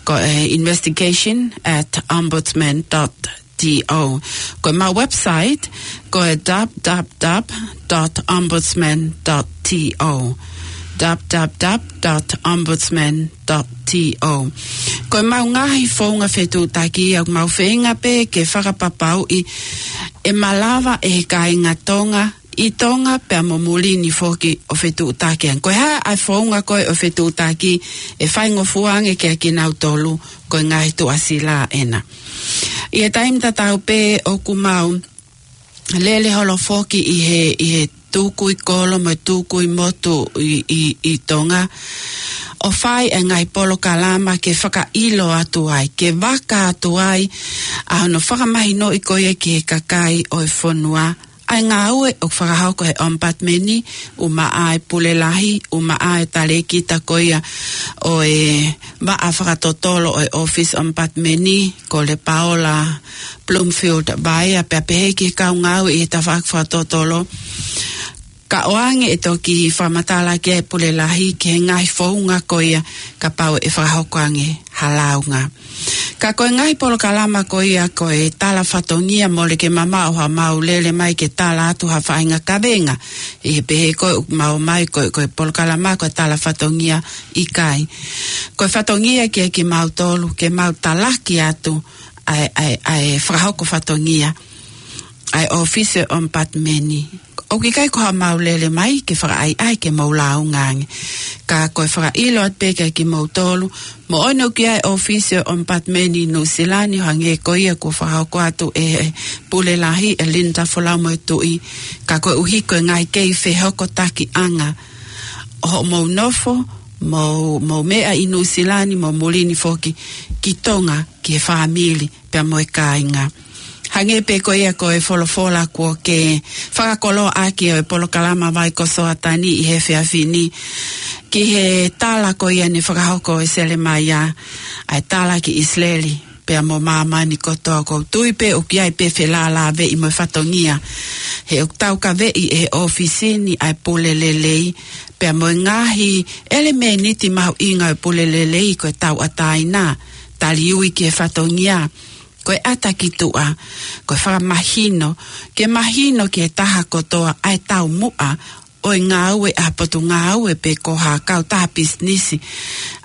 ko e investigation at ombudsman dot T O. Ko ʻemau website, ko e dub dub dub dot ombudsman dot T O. Dub dub dub dot ombudsman dot T O. Ko ʻemau ngaahi founga fetuʻutaki ʻoku mau feinga pē ke fakapapauʻi ʻe malava ʻe he kāinga Tonga ʻi Tonga pea mo muli ni foki ʻo fetuʻutaki ange. Ko e hā ʻa e founga ko ē ʻo fetuʻutaki ʻe faingofua ange kiate kinautolu, ko e ngaahi tuʻasila ʻena. ʻI he taimi tatau pē ʻoku mau lele holo foki ʻi he, ʻi he tukui kolo mo e tukui motu ʻi, ʻi, ʻi Tonga, ʻo fai e ngaahi polokalama ke fakaʻilo atu ai, ke vaka atu ai ʻa hono fakamahinoʻi ko ia ki he kakai ʻo e fonua ʻa e ngāue ʻoku fakahoko he ʻOmipatimeni, ʻumaʻā e Pule Lahi, ʻumaʻā e talēkita ko ia ʻo e vaʻa fakatotolo ʻo e ʻōfisi ʻOmipatimeni, ko Lepaola Bloomfield Vaea, pea pehē ki he kau ngāue ʻi he tafaʻaki fakatotolo. Ka ʻoange ʻe toki fakamatala ki ai e Pule Lahi ki he ngaahi founga ko ia kapau ʻe fakahoko ange ha lāunga. Ka ko e ngaahi polokalama ko ia ko e tala fatongia, mole ke mamaʻo haʻamau lele mai ke tala atu ha faʻahinga kavenga. ʻI he pehē ko ē ʻoku mau ʻomai ko e, ko e polokalama ko e tala fatongia, ʻikai. Ko e fatongia kiate kimautolu ke mau talaki atu ʻa e, ʻa e, ʻa e fakahoko fatongia ʻa e ʻōfisi ʻo e ʻOmipatimeni. ʻOku ʻikai ko haʻamau lele mai ke fakaʻaiʻai ke mau lāunga ange. Ka ko e fakaʻilo atu pē kiate kimoutolu, moʻoni ʻoku ʻi ai e ʻōfisi ʻo e ʻOmipatimeni ʻi Nuʻusila ni, ʻo hangē ko ia kuo fakahoko atu ʻe he Pule Lahi, ʻe Linda Folau mo e Tuʻi. Ka koeʻuhi ko e ngaahi kei fehokotakiʻanga ʻo hoʻomou nofo, mo, mo meʻa ʻi Nuʻusila ni mo muli ni foki ki Tonga, ki he fāmili, pea mo e kāinga. Hangē pē ko ia ko e folofola kuo ke fakakoloa ʻaki ʻo e polokalama Vai ko Soatani ʻi he efiafi ni, ki he tala ko ia ne fakahoko ʻe Selemaia, ʻa e tala ki ʻIsileli, pea mo māmani kotoa. ʻOku ou tui pē ʻoku ʻi ai pē felālāveʻi mo e fatongia, he ʻoku taukaveʻi ʻe he ʻōfisi ni ʻa e pule lelei, pea mo e ngaahi ʻelemēniti mahuʻinga ʻo e pule lelei, ko e tauʻatāina, taliui ki he fatongia, ko e ʻata ki tuʻa, ko e fakamahino, ke mahino ki he taha kotoa ʻa e taumuʻa ʻo e ngāue ʻa e potungāue pe ko ha kautaha pisinisi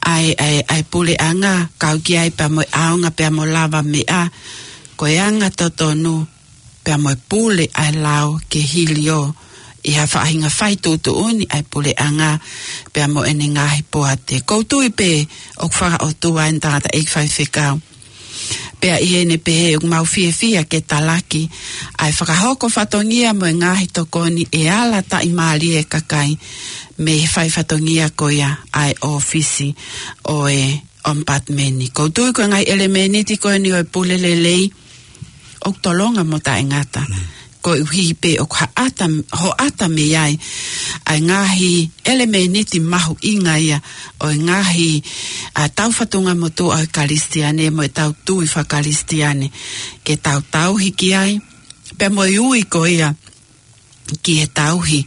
ʻa e, ʻa e, ʻa e puleʻanga, kau ki ai pea mo e ʻaonga pea mo lavameʻa, ko e anga totonu, pea mo e pule ʻa e lao ke hilio ʻi ha faʻahinga fai tuʻutuʻuni ʻa e puleʻanga, pea mo ʻene ngaahi poate. ʻOku ou tui pē ʻoku fakaʻotua ʻeni, tangataʻeiki faifekau. Pea ʻi heʻene pehē, ʻoku mau fiefia ke talaki ʻa e fakahoko fatongia mo e ngaahi tokoni ʻe ala taʻimālie e kakai mei he fai fatongia ko ia ʻa e ʻōfisi ʻo e ʻomipatimeni. ʻOku ou tui ko e ngaahi ʻelemēniti ko eni ʻo e pule lelei, ʻoku tolonga mo taʻengata. Mm. Koeʻuhi pē ʻoku hoʻata, hoʻata mei ai ʻa e ngaahi ʻelemēniti mahuʻinga ia ʻo e ngaahi, ʻa, tau fatungamotuʻa ʻo e Kalisitiane mo e tau tui fakakalisitiane, ke tau tauhi ki ai, pea mo e ui ko ia ki he tauhi,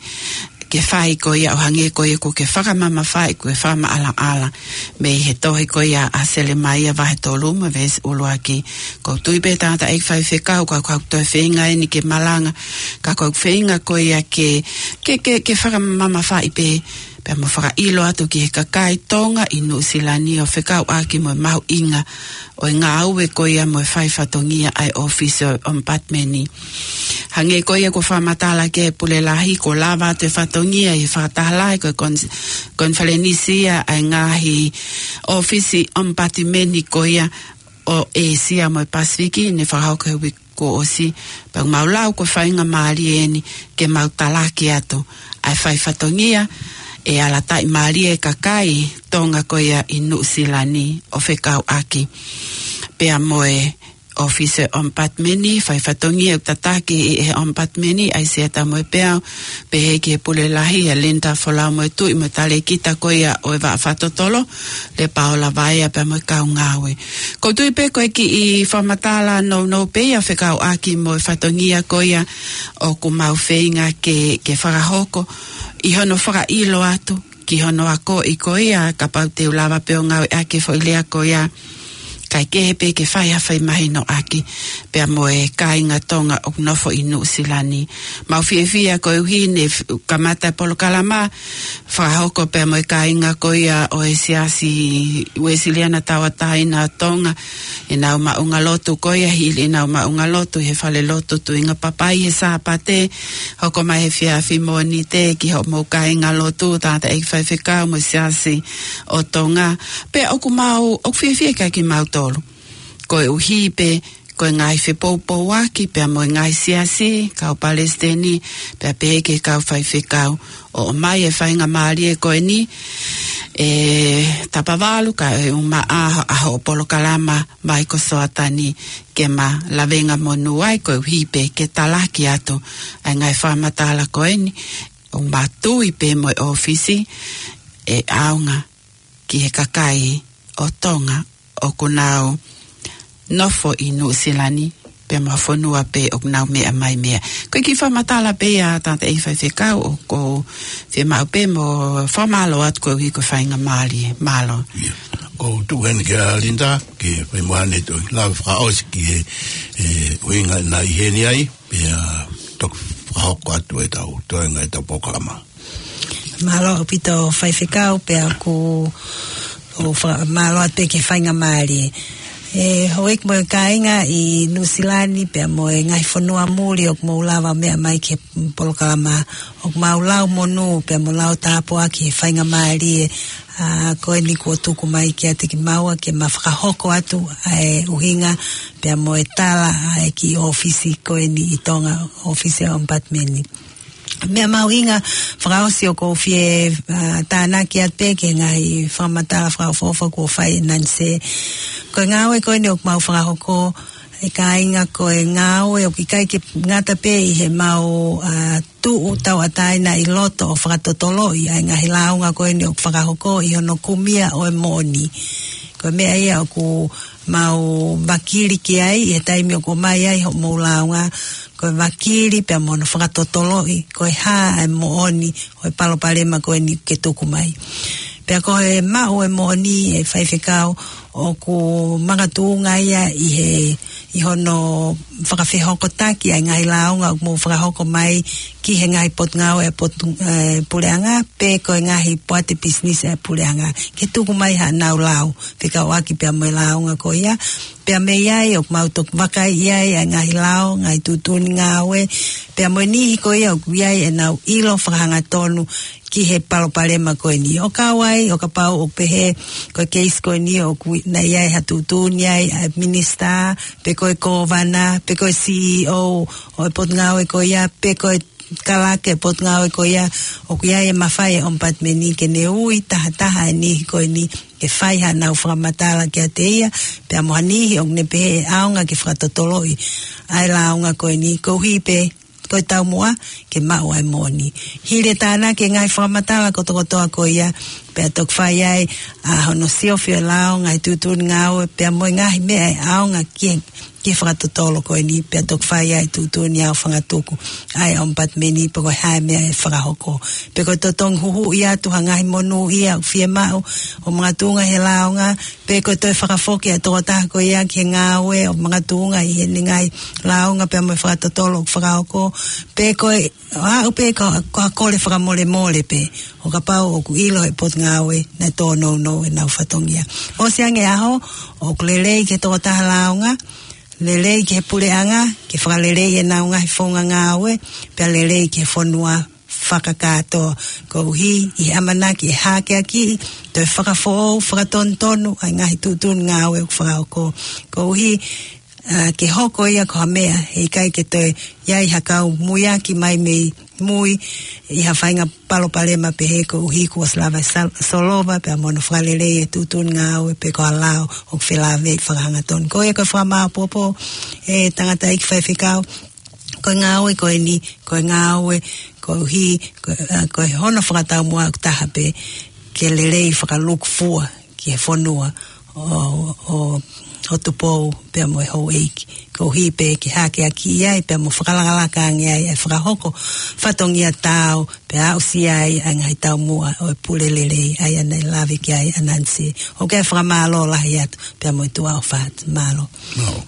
ke fai ko ia ʻo hangē ko ia kuo ke fakamamafaʻi, kuo ke fakamaʻalaʻala mei he tohi ko ia ʻa Selemaia vahe tolu mo e veesi ʻuluaki. ʻOku ou tui pē, tangataʻeiki faifekau, ka ʻoku ou toe feinga ʻeni ke malanga, ka ʻoku ou feinga ko ia ke, ke, ke, ke fakamamafaʻi pē, pea mo fakaʻilo atu ki he kakai Tonga ʻi Nuʻusila ni ʻo fekauʻaki mo e mahuʻinga ʻo e ngāue ko ia mo e fai fatongia ʻa e ʻōfisi ʻo e ʻomipatimeni. Hangē ko ia kuo fakamatala ki ai e pule lahi, kuo lava atu e fatongia ʻi he fakataha lahi ko e kon-, konifelenisi ia ʻa e ngaahi ʻōfisi ʻomipatimeni ko ia ʻo ʻĒsia mo e Pasifiki, ne fakahoko he uike kuo ʻosi, pea ʻoku mau lau ko e faingamālie ʻeni ke mau talaki atu ʻa e fai fatongia ʻe ala taʻimālie e kakai Tonga ko ia ʻi Nuʻusila ni ʻo fekauʻaki pea mo e ʻōfisi ʻo e ʻomipatimeni, fai fatongia ʻoku tataki ʻe he ʻomipatimeni, ʻAisea Tamoepeau, pehē ki he pule lahi, ʻa Linda Folau mo e tuʻi mo e talēkita ko ia ʻo e vaʻa fakatotolo, Lepaola Vaea pea mo e kau ngāue. ʻOku ou tui pē ko e kiʻi fakamatala nounou pē ia fekauʻaki mo e fatongia ko ia ʻoku mau feinga ke, ke fakahoko ʻi hono fakaʻilo atu ki hono akoʻi ko ia, kapau te u lava pē ʻo ngāueʻaki e foʻi lea ko ia, kae kehe pē ke fai ha fai mahinoʻaki pea mo e kāinga Tonga ʻoku nofo ʻi Nuʻusila ni. Mau fiefia koeʻuhi ne f-, kamata e polokalama fakahoko pea mo e kāinga ko ia ʻo e Siasi Uēsiliana Tauʻatāina ʻo Tonga, ʻenau maʻungalotu ko ia, hili ʻenau maʻungalotu he falelotu Tuʻinga Papai he Sāpate, hoko mai he efiafi Mōnite ki hoʻomou kāingalotu, tangataʻeiki faifekau mo e Siasi ʻo Tonga. Pea ʻoku mau, ʻoku fiefia kiate kimautolu. Koeʻuhi pē ko e ngaahi fepoupouaki pea mo e ngaahi siasi, kau palesiteni, pea pehē ki he kau faifekau, ʻo ʻomai e faingamālie ko eni, ʻe Tapavalu, kae ʻumaʻā ʻa hoʻo polokalama Vai ko Soatani, ke ma lavengamonū ai koeʻuhi pē ke talaki atu ʻa e ngaahi fakamatala ko eni, ʻoku ma tui pē mo e ʻōfisi ʻe ʻaonga ki he kakai ʻo Tonga ʻoku nau nofo ʻi Nuʻusila ni, pea mo e fonua pē ʻoku nau meʻa mai mei ai. Ko e kiʻi fakamatala pē ia, tangataʻeiki faifekau, ʻoku ou fiemaʻu pē mo fakamālō atu koeʻuhi ko e faingamālie. Mālō. ʻIo. ʻOku ou tuku heni kia Linda ke fai mo ʻene toe lave fakaʻosi ki he, e, ʻuhinga naʻe ʻi heni ai, pea toki fakahoko atu ʻetau toenga ʻetau polokalama. Mālō ʻaupito faifekau, pea ʻoku ou fakamālō atu pē ki he faingamālie. E, houʻeiki mo e kāinga ʻi Nuʻusila ni pea mo e ngaahi fonua muli ʻoku mou lava meʻa mai ki he polokalama, ʻoku mau lau monū pea mo lau tāpuaki he faingamālie, ʻa, ko eni kuo tuku mai kiate kimaua ke ma fakahoko atu ʻa e ʻuhinga pea mo e tala ʻa e kiʻi ʻōfisi ko eni ʻi Tonga, ʻōfisi ʻo e ʻomipatimeni. Meʻa mahuʻinga fakaʻosi ʻoku ou fie, ā, tānaki atu pē ki he ngaahi fakamatala fakaʻofoʻofa kuo fai ʻe Nanise. Ko e ngāue ko eni ʻoku mau fakahoko, ʻe kāinga, ko e ngāue ʻoku ʻikai ke ngata pē ʻi heʻemau, ā, tuʻu tauʻatāina ʻi loto ʻo fakatotoloʻi ʻa e ngaahi lāunga ko eni ʻoku fakahoko ʻi hono kumi ʻa e moʻoni. Ko e meʻa ia ʻoku mau vakili ki ai ʻi he taimi ʻoku ʻomai ai hoʻomou lāunga, ko e vakili pea mo hono fakatotoloʻi ko e hā ʻa e moʻoni ʻo e palopalema ko eni ke tuku mai. Pea ko e maʻu ʻa e moʻoni, ʻe faifekau, ʻoku makatuʻunga ia ʻi he, ʻi hono fakafehokotaki ʻa e ngaahi lāunga ʻoku mou fakahoko mai ki he ngaahi potungāue ʻa e potu-, ē, puleʻanga, pe ko e ngaahi poate pisinisi ʻa e puleʻanga, ke tuku mai haʻanau lao fekauʻaki pea mo e lāunga ko ia. Pea mei ai ʻoku mau toki vakaiʻi ai ʻa e ngaahi lao, ngaahi tuʻutuʻuni ngāue, pea mo e niʻihi ko ia ʻoku ʻi ai ʻenau ʻilo fakahangatonu ki he palopalema ko eni. ʻO kau ai, ʻo kapau ʻoku pehē ko e keisi ko eni ʻoku ʻi ai ha tuʻutuʻuni ai ʻa e minisitā, pe ko e kōvana, pe ko e CEO ʻo e potungāue ko ia, pe ko e kalake potungāue ko ia, ʻoku ʻi ai e mafai ʻa e ʻOmipatimeni ke ne ui tahataha e niʻihi ko eni ke fai haʻanau fakamatala kiate ia, pea mo ha niʻihi ʻoku ne pehē ʻe ʻaonga ke fakatotoloʻi ʻa e lāunga ko eni, koeʻuhi pē ko e taumuʻa ke maʻu ʻa e moʻoni. Hili e tānaki e ngaahi fakamatala kotokotoa ko ia, pea toki fai ai ʻa hono siofi ʻo e lao, ngaahi tuʻutuʻuni ngāue, pea mo e ngaahi meʻa ʻe ʻaonga ki he, ki he fakatotolo ko eni, pea toki fai ai e tuʻutuʻuni aofangatuku ʻa e ʻOmipatimeni pe ko e hā e meʻa ʻe fakahoko. Pe ko e totongi huhuʻi atu ha ngaahi monūʻia ʻoku fiemaʻu ʻo makatuʻunga he lāunga, pe ko e toe fakafoki ʻa e tokotaha ko ia ki he ngāue ʻo makatuʻunga ʻi heʻene ngaahi lāunga pea mo e fakatotolo ʻoku fakahoko, pe ko e aʻu pē ko, ko ha kole fakamolemole pē, ʻo kapau ʻoku ʻilo ʻe he potungāue naʻe tōnounou ʻenau fatongia. ʻOsi ange e ʻaho, ʻoku lelei ki he tokotaha lāunga, lelei ki he puleʻanga ke fakaleleiʻi ʻenau ngaahi founga ngāue, pea lelei ki he fonua fakakātoa, koeʻuhi ʻi he ʻamanaki ʻe hākeakiʻi, toe fakafoʻou, fakatonutonu ʻa e ngaahi tuʻutuʻuni ngāue ʻoku fakahoko, koeʻuhi, ā, ke hoko ia ko ha meʻa he ʻikai ke toe ʻi ai ha kau muiaki mai mei mui ʻi ha faʻahinga palopalema pehē, koeʻuhi kuo ʻosi lava e sal-, solova pea mo hono fakalelei e tuʻutuʻuni ngāue pe ko ha lao ʻoku felāveʻi fakahangatonu. Ko ia ko e fakamāopoopo, ʻe tangataʻeiki faifekau, ko e ngāue ko eni, ko e ngāue koeʻuhi, ko, ā, ko hono fakataumuʻa ʻoku taha pē, ke lelei fakalūkufua ki he fonua ʻo, ʻo, ʻo Tupou pea mo e houʻeiki, koeʻuhi pē ke hākeakiʻi ai pea mo fakalakalaka ange ai e fakahoko fatongia taau, pea aʻusia ai ʻa e ngaahi taumuʻa ʻo e pule lelei ʻa ia naʻe lave ki ai ʻa Nanise. ʻOku ou fakamālō lahi atu pea mo e tuʻa ʻofa atu. Mālō. Mālō.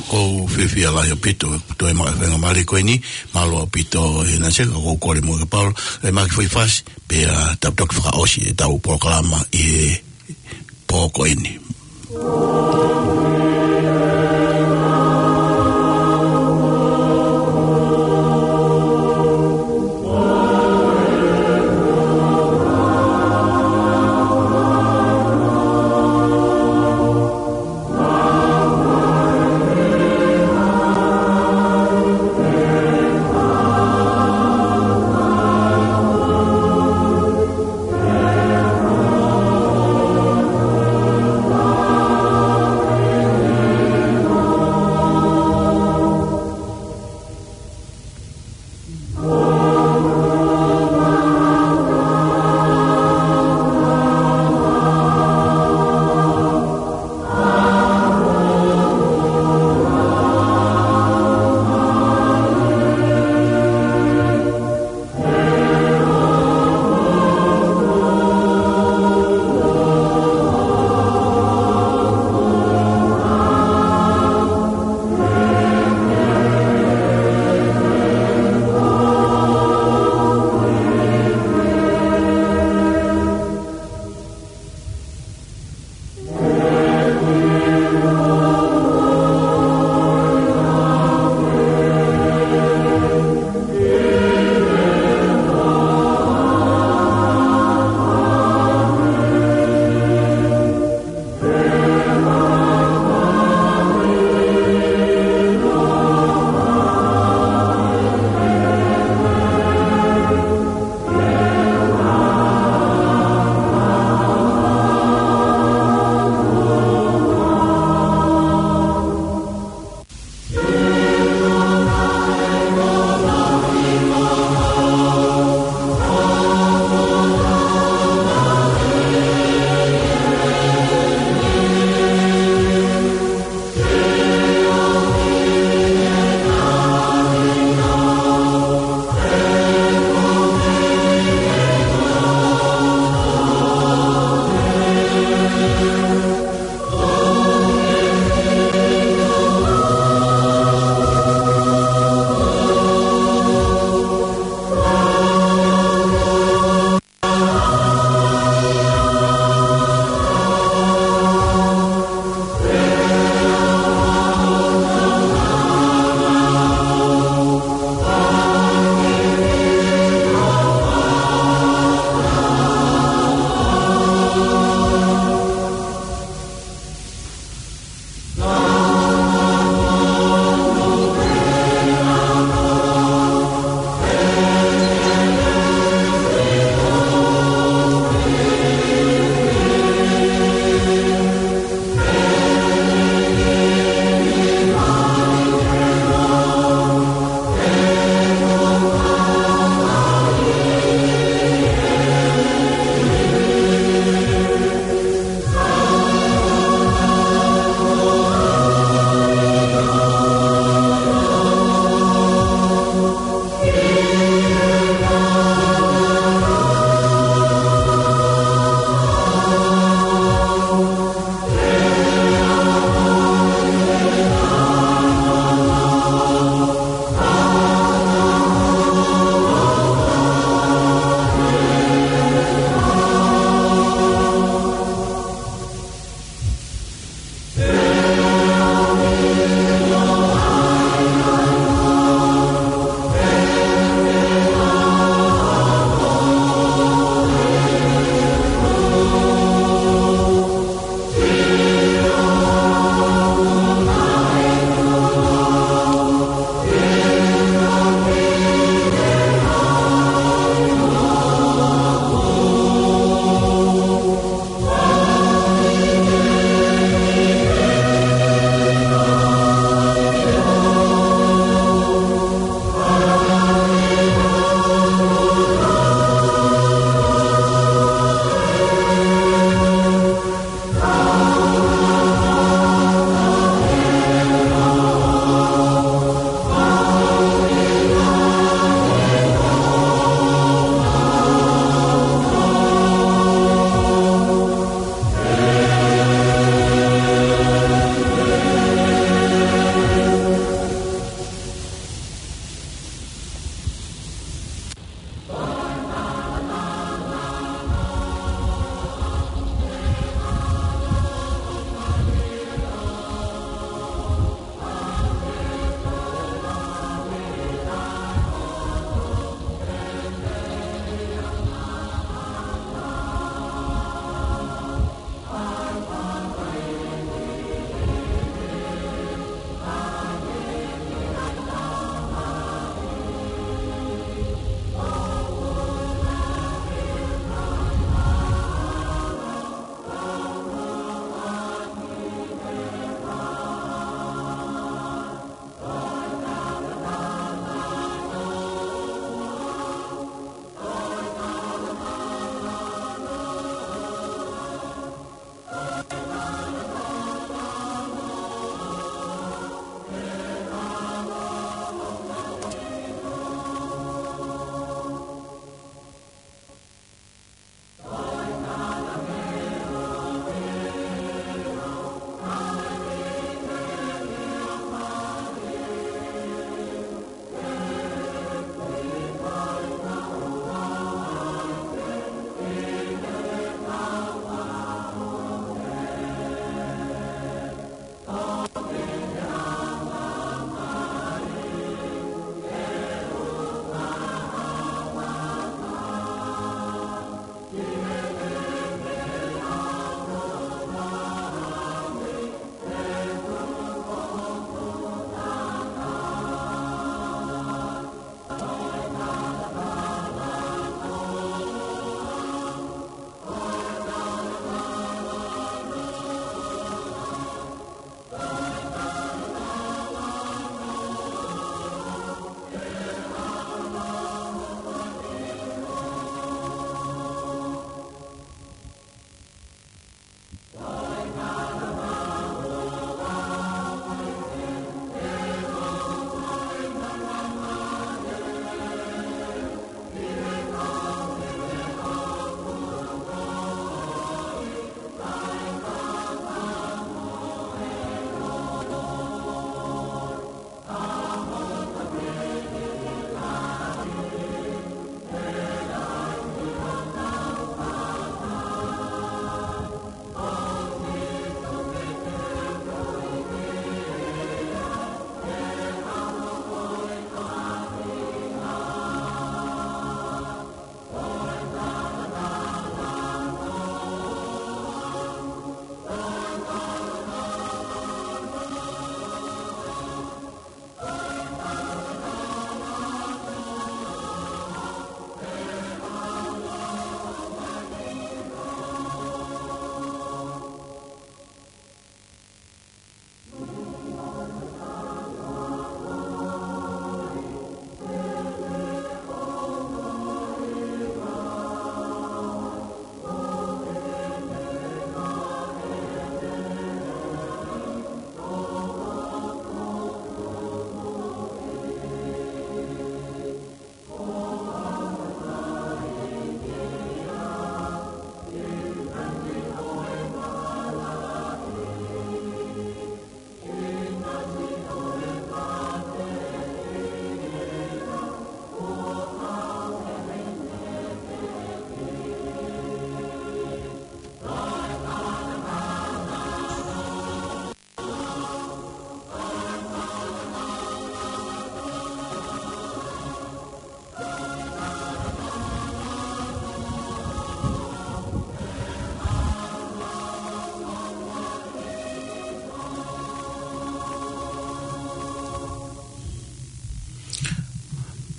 ʻOku ou fiefia lahi ʻaupito, toe maʻu e faingamālie ko eni, mālō ʻaupito ʻe Nanise, ka ʻoku ou kole mo e kapau, ʻe maki fai fasi, pea tau toki fakaʻosi ʻetau polokalama ʻi he pō ko eni.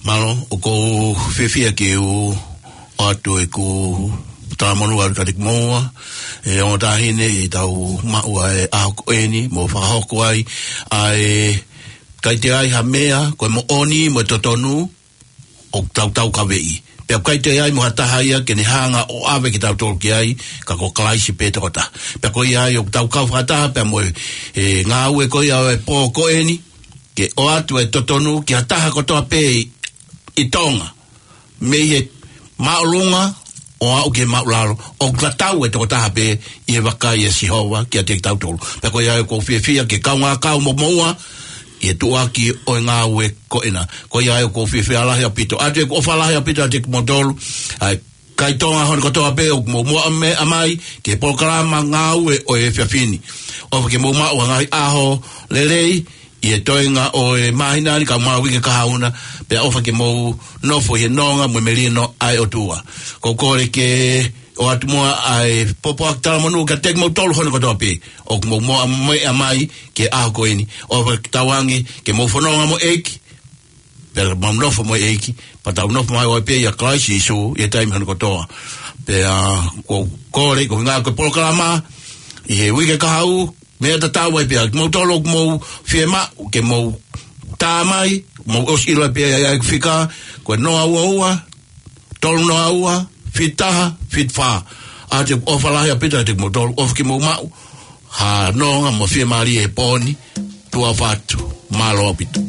Mālō, ʻoku ou fiefia ke u ʻoatu ʻeku talamonū atu kiate kimoua, ʻe ongo taʻahine, ʻi heʻetau maʻu ʻa e ʻaho ko eni, mo fakahoko ai ʻa e ʻikai toe ʻi ai ha meʻa, ko e moʻoni, mo e totonu, ʻoku tau taukaveʻi. Pea ʻikai toe ʻi ai mo ha taha ia ke ne hanga ʻo ʻave kitautolu ki ai, ka ko Kalaisi pē tokotaha. Pea ko ia ai ʻoku tau kau fakataha, pea mo e, e ngāue ko ia ʻo e pō ko eni, ke ʻoatu e totonu ki ha taha kotoa pē ʻi, ʻi Tonga. Mei he māʻolunga ʻo aʻu ki he māʻulalo, ʻoku tatau e tokotaha pē ʻi he vakai ʻa Sihova kiate kitautolu. Pea ko ia ai ʻoku ou fiefia ke kaungā kau mo moua, ʻi he tuʻuaki ʻo e ngāue ko ena. Ko ia ai ʻoku ou fiefia lahi ʻaupito. ʻOatu ʻeku ʻofa lahi ʻaupito kiate kimoutolu, ʻa e kakai Tonga hono kotoa pē ʻoku mou muʻomuʻa mai ki he polokalama ngāue ʻo e efiafi ni. ʻOfa ke mou maʻu ha ngaahi ʻaho lelei, ʻi he toenga ʻo e māhina ni kae ʻumaʻā e uike kahaʻu na, pea ʻofa ke mou nofo ʻi he nonga mo e melino ʻa e ʻOtua. ʻOku ou kole ke ʻoatu muʻa ʻa e pōpoaki talamonū kiate kimoutolu hono kotoa pē ʻoku mou muʻomuʻa mai ki he ʻaho ko eni. ʻOfa ke tauange ke mou fononga mo e ʻEiki, pea mou nofo mo e ʻEiki, pea tau nofo mai ʻo pē ʻia Kalaisi Sīsū ʻi he taimi hono kotoa. Pea ʻoku ou kole, ko e ngāue ko e polokalama ʻi he uike kahaʻu, meʻa tatau ai pē ʻa kimoutolu ʻoku mou fiemaʻu ke mou tā mai, mou ʻosi ʻilo ai pē ʻa e fika, ko e noa ua ua, tolu noa ua, fitu taha, fitu fā. ʻOatu ʻeku ʻofa lahi ʻaupito kiate kimoutolu, ʻofa ke mou maʻu ha nonga mo e fiemālie he pō ni, tuʻa ʻofa atu, mālō ʻaupito.